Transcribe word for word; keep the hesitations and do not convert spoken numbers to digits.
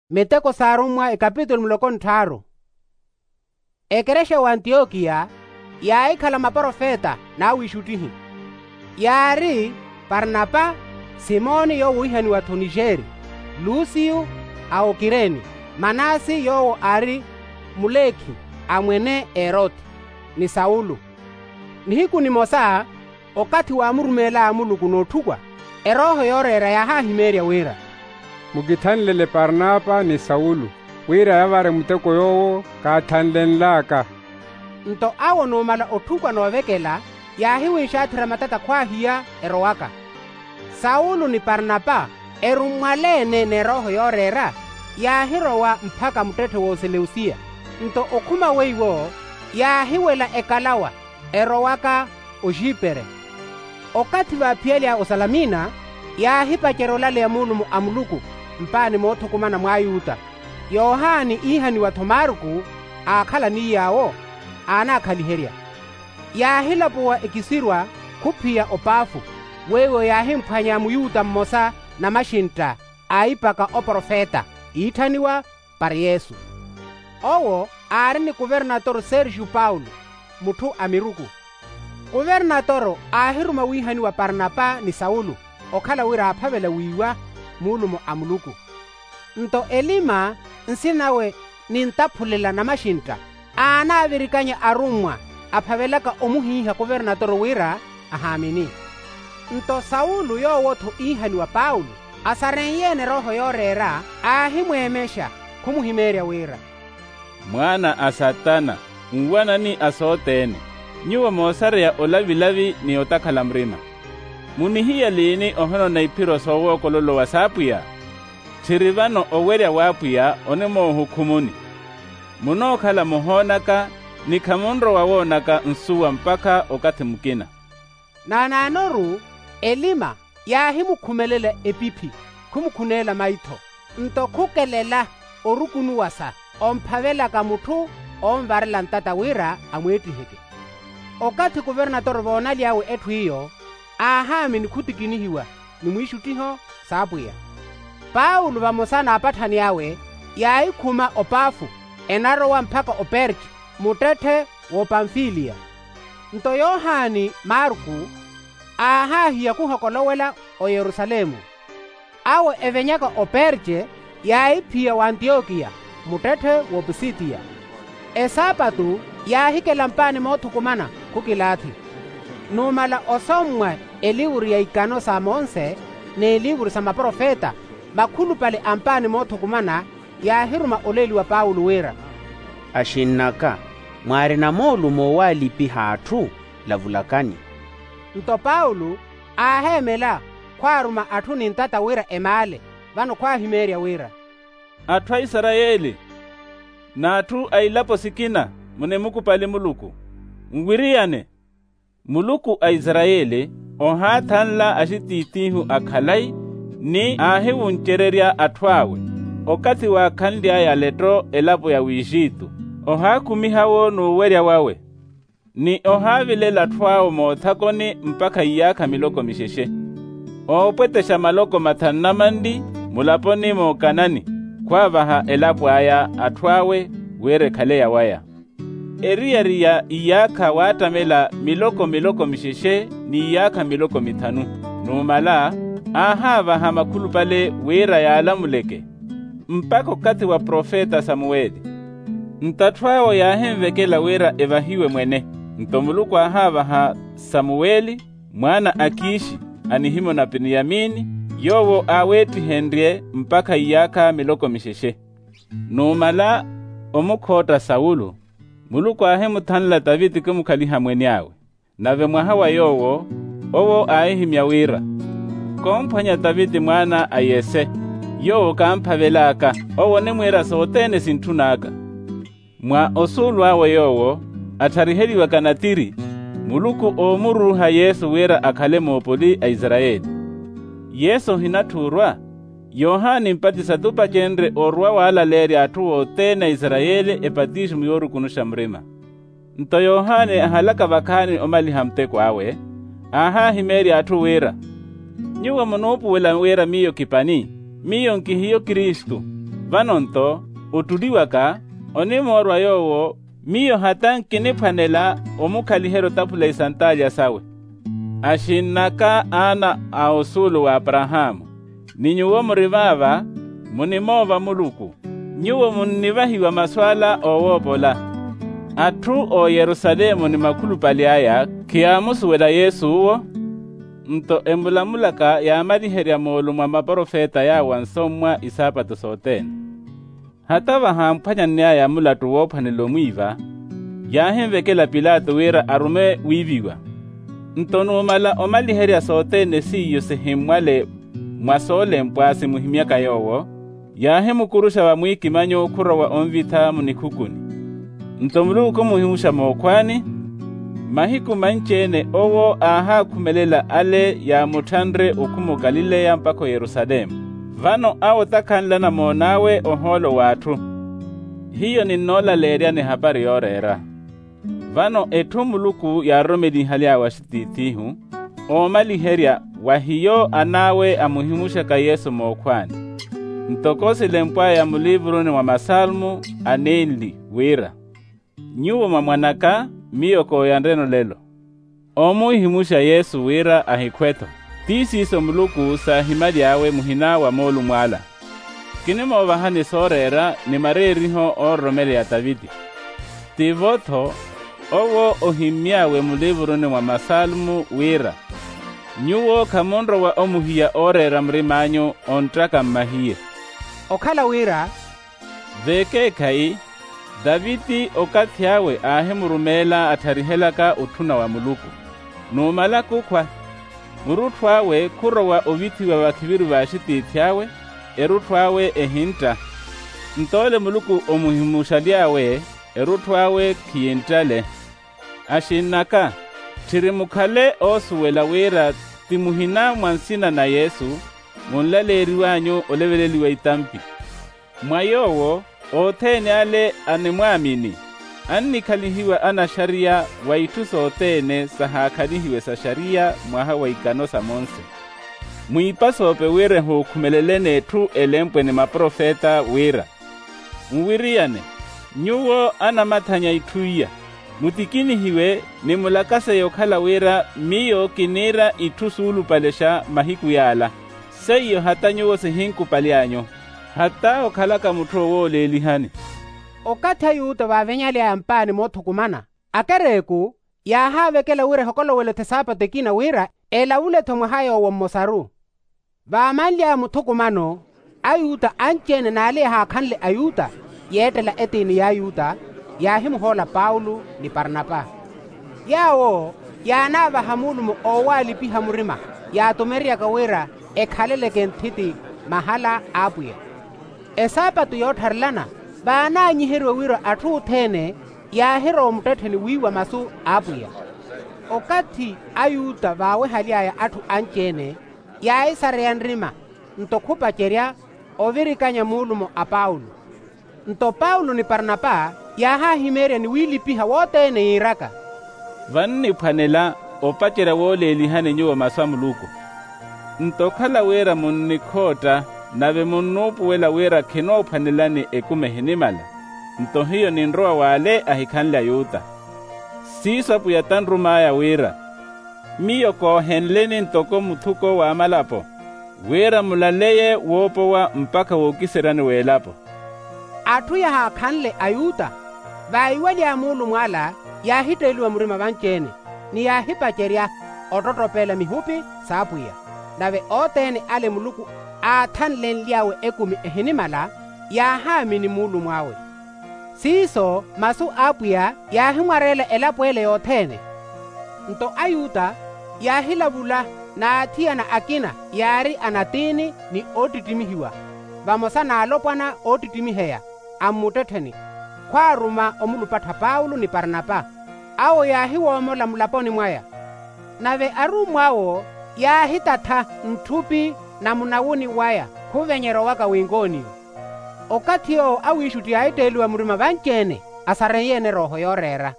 Miteko s'arummwa ekapitulu muloko nttharu. Ekerexa ya antiyokiya yaahikhala maprofeta n'awiixuttihi, yaari parnapa, simoni yoowo oohihaniwa-tho nixeeri, lusiyu a okireni, manasi yoowo aari mulekhi a mwene eroti, ni sawulu. Nihiku nimosa, okathi waamurumeel'aya muluku n'otthukwa, erooho yooreera yaahahimeerya wira, mukithanlele parnapa ni sawulu, wira yavare muteko yoowo kaathanlenl'aka. Nto awo numala otthukwa n'ovekela, yaahiwinxaathira matata khwaahiya erowaka. Sawulu ni parnapa, erummwaleene n'erooho yooreera, yaahirowa mpakha muttetthe w'oseleusiya. Nto okhuma weiwo, yaahiwela ekalawa erowaka oxipere. Okathi vaaphiyal'aya osalamina, yaahipacerya olaleya muulumo a muluku mpaani moothukumana mw'ayuta. Yohani iihaniwa-tho marku, aakhala ni yaawo, aanaakhaliherya. Yaahilapuwa ekisirwa khuphiya opaafu, weiwo yaahimphwanya muyuta mmosa namaxintta, aahipaka oprofeta iitthaniwa, pari yesu. Owo aari ni kuvernatoro sergiu paulo, mutthu a miruku. Kuvernatoro aahiruma wiihaniwa parnapa ni sawulu, okhala wira aaphavela wiiwa muulumo a muluku. Nto elima, nsina nawe nintaphulela namaxintta, aanaavirikanya arummwa aphavelaka omuhiiha kuvernatoro wira ahaamini. Nto sawulu yoowo-tho iihaniwa paulo, asarenyeene erooho yooreera, aahimweemexa, khumuhimeerya wira, mwaana a satana, nwanani a sothene, nyuwo moosareya olavilavi ni otakhala murima. Munihiya liini ohonona iphiro soowookolowa s'apwiya? Tthiri vano owerya w'apwiya onimoohukhumuni. Munookhala muhoonaka, ni khamunrowa woonaka nsuwa mpakha okathi mukina. Naanaanoru elima yaahimukhumelela epiphi, khumukhuneela maitho. Nto khukelela orukunuwasa omphavelaka mutthu oonvarela ntata wira amweettiheke. Okathi kuvernatoro voonaly'awe etthu iyo, aahaamini khutikinihiwa ni mwiixuttiho s'apwiya. Paulo vamosa n'apatthani awe, yaahikhuma opafo enarowa mpakha operke, muttetthe w'opamfiliya. Nto yohani marku aahaahiya khuhokolowela oyerusalemu. Awo evenyaka operke, yaahiphiya w'antiyokiya, muttetthe w'opisidiya. Esaapatu yaahikela mpaani moothukumana khukilaathi. Numala osommwa elivuru ya ikano sa monse, n'elivuru sa maprofeta, makhulupale a mpaani moothukumana yaahiruma oleli wa paulo wira, axinn'aka, mwaarina moolumo owaalipiha atthu? Lavulakani. Nto paulo aaheemela, khwaaruma atthu ni ntata wira emaale. Vano khwaahimeerya wira, atthu a isarayeli, n'atthu a ilapo sikina, munimukupali muluku, nwiriyane. Muluku a isarayeli ohaathanla axitiitiihu a khalayi, ni aahiwuncererya atthu awe. Okathi waakhanly'aya letto elapo ya wixitu, ohaakhumiha-wo n'uwerya wawe, ni ohaavilela atthu awo moothakoni mpakha iyaakha miloko mixexe. Oopwetexa maloko mathanu na manli mulaponi mookanani, khwaavaha elapo aya atthu awe, wira ekhale yawaya. Eriyari ya iyaakha waattamela miloko miloko mixexe, n'iyaakha miloko mithanu. Numala aahaavaha makhulupale wira yaalamuleke, mpakha okathi wa profeta samuweli. Nto atthu awo yaahinvekela wira evahiwe mwene. Nto muluku aahaavaha samuweli, mwaana a kiixi, a nihimo na piniyamini, yoowo aaweettihenrye mpakha iyaakha miloko mixexe. Numala omukhootta sawulu, muluku aahimuthanla taviti khimukhaliha mwene awe. Nave mwaha wa yoowo, owo aahihimya wira, komphwanya taviti mwaana a yese, yoowo kaamphavel'aka. Owo onimwiira sothene sintthun'aka. Mwa osuulu awe yoowo athariheliwaka natiri, muluku oomuruuha yesu wira akhale moopoli a isarayeli. Yesu ohinatthu orwa. Yohani mpatisa t'upacenrye orwa waalaleerya atthu othene a isarayeli epatiso mu yoorukunuxa murima. Nto yohani ahalaka vakhaani omaliha muteko awe, aahaahimeerya atthu wira, nyuwo munuupuwela wira miyo kipani? Miyo nkihiyo kristu. Vano-nto ottuliwaka onimoorwa yoowo miyo hata nkiniphwanela omukhaliherya otaphula isantaalya sawe. Axinn'aka aana a osuulu w'aparahaamu, ni nyuwo muri vaava, munimoova muluku. Nyuwo munnivahiwa masu ala oowoopola. Atthu a oyerusalemu ni makhulupale aya khiyaamusuwela yesu uwo. Nto emulamulaka yaamaliherya moolumo a maprofeta yaawo ansommwa isaapatu sothene. Hata vahaamphwanyanny'aya mulattu woophwanela omwiiva, yaahinvekela pilato wira arume wiiviwa. Nto numala omaliherya sothene seiyo sihimmwale mwa soolempwa simuhimyaka yoowo, yaahimukuruxa vamwiikimanyo khurowa onvitha munikhukuni. Nto muluku khumuhimuxa mookhwaani. Mahiku manci-ene owo aahaakhumelela ale yaamutthanre okhuma okalileya mpakha oyerusalemu. Vano awo otakhanle anamoon'awe ohoolo w'atthu. Hiyo ninnoolaleeryani ehapari yooreera. Vano etthu muluku yaaroromelihaly'awe axitiith'ihu, oomaliherya wa hiyo an'awe amuhimuxaka yesu mookhwaani. Ntoko silempw'aya muliivuruni mwa masalmu anenli wira, nyuwo mwa mwan'aka, miyo kooyanreni olelo. Oomuhimuxa yesu wira ahikhwe-tho. Ti siiso muluku saahimaly'awe muhina wa moolumo ala. Kinimoovahani sooreera ni mareeriho oororomeleya taviti. Tivo-tho owo ohimmy'awe muliivuruni mwa masalmu wira, nyuwo khamunrowa omuhiya ooreera murim'anyu, ontthaka mmahiye. Okhala wira, vekeekhayi, taviti okathi awe aahimurumeela attharihelaka otthuna wa muluku. Numala kukhwa, murutthu awe khurowa ovithiwa vakhiviru v'axitiithi awe, erutthu awe ehintta. Nto ole muluku omuhimuxaly'awe, erutthu awe khiyinttale. Axinn'aka, tthiri mukhale oosuwela wira ti muhina mwa nsina na yesu, munlaleeriw'anyu oleveleliwa itampi. Mwa yoowo othene ale animwaamini, annikhalihiwa anaxariya wa itthu sothene sahaakhalihiwe sa xariya mwaha wa ikano sa monse. Mwiipasoope wira ehuukhumeleleni etthu elempwe ni maprofeta wira, nwiriyane, nyuwo anamathanya itthu iya, mutikinihiwe ni mulakaseye okhala wira miyo kiniira itthu suulupalexa mahiku yaala. Seiyo hata nyuwo sihinkupaly'anyu, hata okhalaka mutthu owooleelihani. Okathi ayuta vaavenyaly'aya mpaani moothukumana, akereeku yaahaavekela wira ehokolowele-tho esaapatu ekina wira elavule-tho mwaha yoowo mmosaru. Vaamanly'aya muthukumano, ayuta anci-ene n'ale yahaakhanle ayuta yeettela etiini y'ayuta, yaahimuhoola paulo ni parnapa. Yaawo yaanaavaha muulumo oowaalipiha murima, yaatumeryaka wira ekhaleleke nthiti mahala a apwiya. Esaapatu yoottharelana vaanaanyiheriwe wira atthu othene yaahirowa omuttettheni wiiwa masu a apwiya. Okathi ayuta vaawehaly'aya atthu anci-ene, yaahisareya nrima nto khupacerya ovirikanya muulumo a paulo. Nto paulo ni parnapa yaahahimeerya ni wiilipiha wothene yiiraka, vanniphwanela opacerya wooleelihani nyuwo masu a muluku. Nto okhala wira munnikhootta nave munnuupuwela wira khinoophwanelani ekumi ehinimala, nto hiyo ninrowa w'ale ahikhanle ayuta. Siiso apwiya tanrum'aya wira miyo koohenleni ntoko muthuko w'amalapo, wira mulaleye woopowa mpakha wookiseryani w'elapo. Atthu yahaakhanle ayuta vaiwaly'aya muulumo ala, yaahitteeliwa murima vanci-ene ni yaahipacerya ottottopela mihupi s'apwiya. Nave othene ale muluku aathanlenly'awe ekumi ehinimala, yaahaamini muulumo awe. Siiso masu a apwiya yaahimwareela elapo ele yothene. Nto ayuta yaahilavula n'athiyana akina yaari anatiini ni oottittimihiwa, vamosa n'alopwana oottittimiheya a mmuttettheni, khwaaruma omulupattha paulo ni parnapa. Awo yaahiwoomola mulaponi mwaya. Nave arummw'awo yaahitatha ntthupi na munawuni waya khuvenyerya owaka w'inkoniyo. Okathi yoowo awiixutti yaahitteeliwa murima vanci-ene, asareiye-ene erooho yooreera.